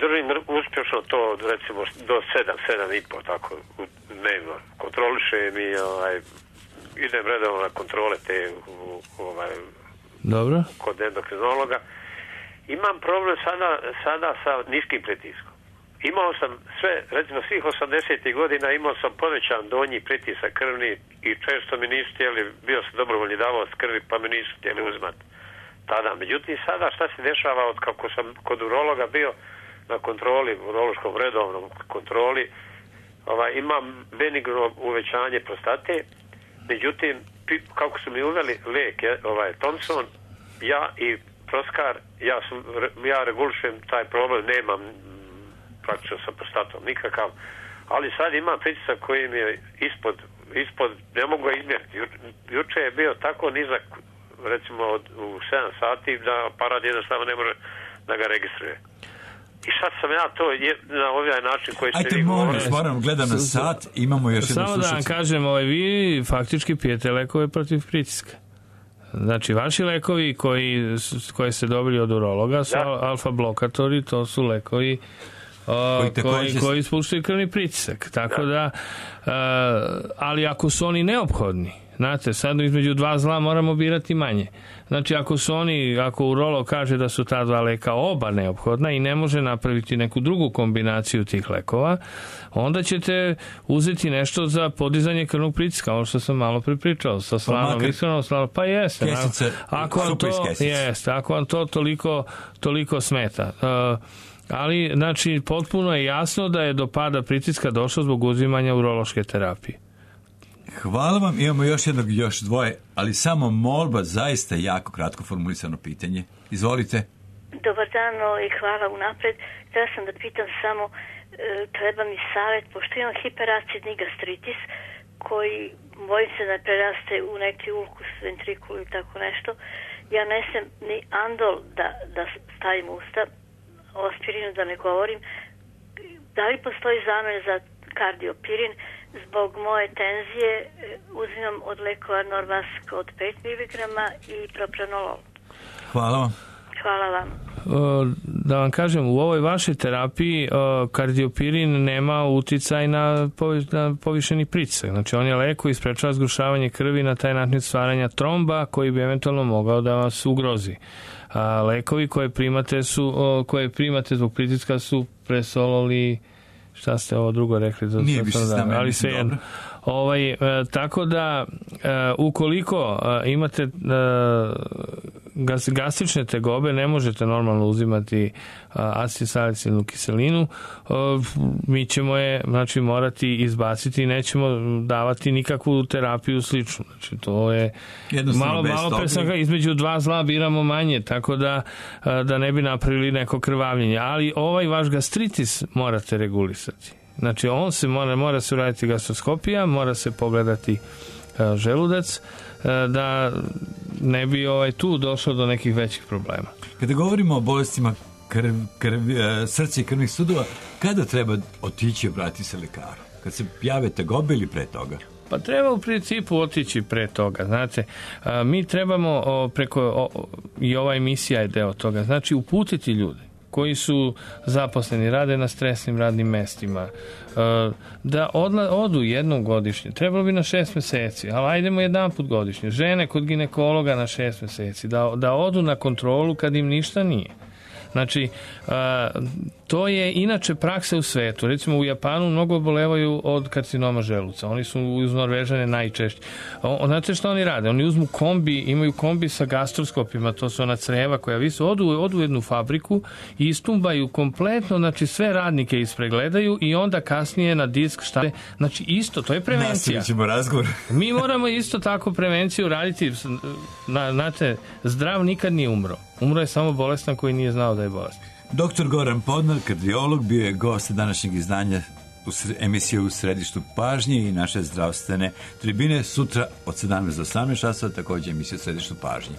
Držim uspješno to, recimo, do 7,5, tako, dnevno. Kontrolišem i idem redovno na kontrole te Dobro. Kod endokrinologa. Imam problem sada sa niskim pritiskom. Imao sam sve, recimo svih 80. godina imao sam povećan donji pritisak krvni i često mi nisu htjeli, bio sam dobrovoljni davalac krvi pa me nisu htjeli uzmati tada. Međutim, sada šta se dešava od kako sam kod urologa bio na kontroli, urološkom redovnom kontroli, imam benigno uvećanje prostate, međutim, kako su mi uveli lijek, Thompson, ja i Proskar, ja regulišem taj problem, nemam praktično sa prostatom nikakav, ali sad imam pritisak koji mi je ispod, ne mogu ga izmjeriti. Juče je bio tako nizak, recimo u 7 sati, da aparat jednostavno ne može da ga registruje. I sad sam ja to na ovaj način koji ste vi govorili. Ajde, moram, gledam na sat, imamo još jednu slušalicu. Samo da vam kažem, vi faktički pijete lekove protiv pritiska. Znači, vaši lekovi koje ste dobili od urologa su alfa blokatori, to su lekovi koji spuštaju krvni pritisak. Tako da, ali ako su oni neophodni, znate, sad između dva zla moramo birati manje. Znači, ako urolog kaže da su ta dva leka oba neophodna i ne može napraviti neku drugu kombinaciju tih lekova, onda ćete uzeti nešto za podizanje krvnog pritiska, ono što sam malo pripričao, sa slanom, iskrenom slanom, pa jeste. Ako vam to toliko smeta. Ali, znači, potpuno je jasno da je do pada pritiska došlo zbog uzimanja urološke terapije. Hvala vam, imamo još dvoje, ali samo molba, zaista jako kratko formulisano pitanje. Izvolite. Dobar dan i hvala unapred. Htjela sam da pitam samo, treba mi savjet, pošto imam hiperacidni gastritis, koji bojim se da preraste u neki ulkus, ventrikul ili tako nešto. Ja ne sam ni andol da stavim usta, o aspirinu da ne govorim. Da li postoji zamjena za kardiopirin? Zbog moje tenzije uzimam od lekova Norvask od 5 mg i propranolol. Hvala vam. Hvala vam. Da vam kažem, u ovoj vašoj terapiji kardiopirin nema uticaj na povišeni pritisak. Znači, on je lek koji sprečava zgrušavanje krvi, na taj način stvaranja tromba koji bi eventualno mogao da vas ugrozi. A lekovi koje primate zbog pritiska su Presolol i šta ste ovo drugo rekli? Nije više s nama, ali sve jedno. Tako da, ukoliko imate gastrične tegobe ne možete normalno uzimati acetilsalicilnu kiselinu, mi ćemo je morati izbaciti i nećemo davati nikakvu terapiju sličnu. Znači, to je malo između dva zla biramo manje, tako da ne bi napravili neko krvavljenje. Ali ovaj vaš gastritis morate regulisati. Znači, on se mora se uraditi gastroskopija, mora se pogledati želudac, da ne bi tu došlo do nekih većih problema. Kada govorimo o bolestima srca i krvnih sudova, kada treba otići i obratiti se lekaru? Kad se jave tegobe ili pre toga? Pa treba u principu otići pre toga. Znate, mi trebamo i ova emisija je deo toga, znači uputiti ljude koji su zaposleni, rade na stresnim radnim mestima, da odu jednom godišnje. Trebalo bi na 6 meseci, ali ajdemo jedan put godišnje. Žene kod ginekologa na 6 meseci, da odu na kontrolu kad im ništa nije. Znači, to je inače praksa u svetu. Recimo u Japanu mnogo obolevaju od karcinoma želuca. Oni su uz Norvežane najčešći. Znate što oni rade? Oni uzmu kombi, imaju kombi sa gastroskopima, to su ona creva koja odu u jednu fabriku i istumbaju kompletno, znači sve radnike ispregledaju i onda kasnije na disk štave. Znači isto, to je prevencija. Nastavit ćemo razgovor. Mi moramo isto tako prevenciju raditi. Znate, zdrav nikad nije umro. Umro je samo bolestan koji nije znao da je bolestan. Dr. Goran Podnar, kardiolog, bio je gost današnjeg izdanja emisije U središtu pažnje i naše zdravstvene tribine. Sutra od 17 do 18 časova također emisija U središtu pažnje.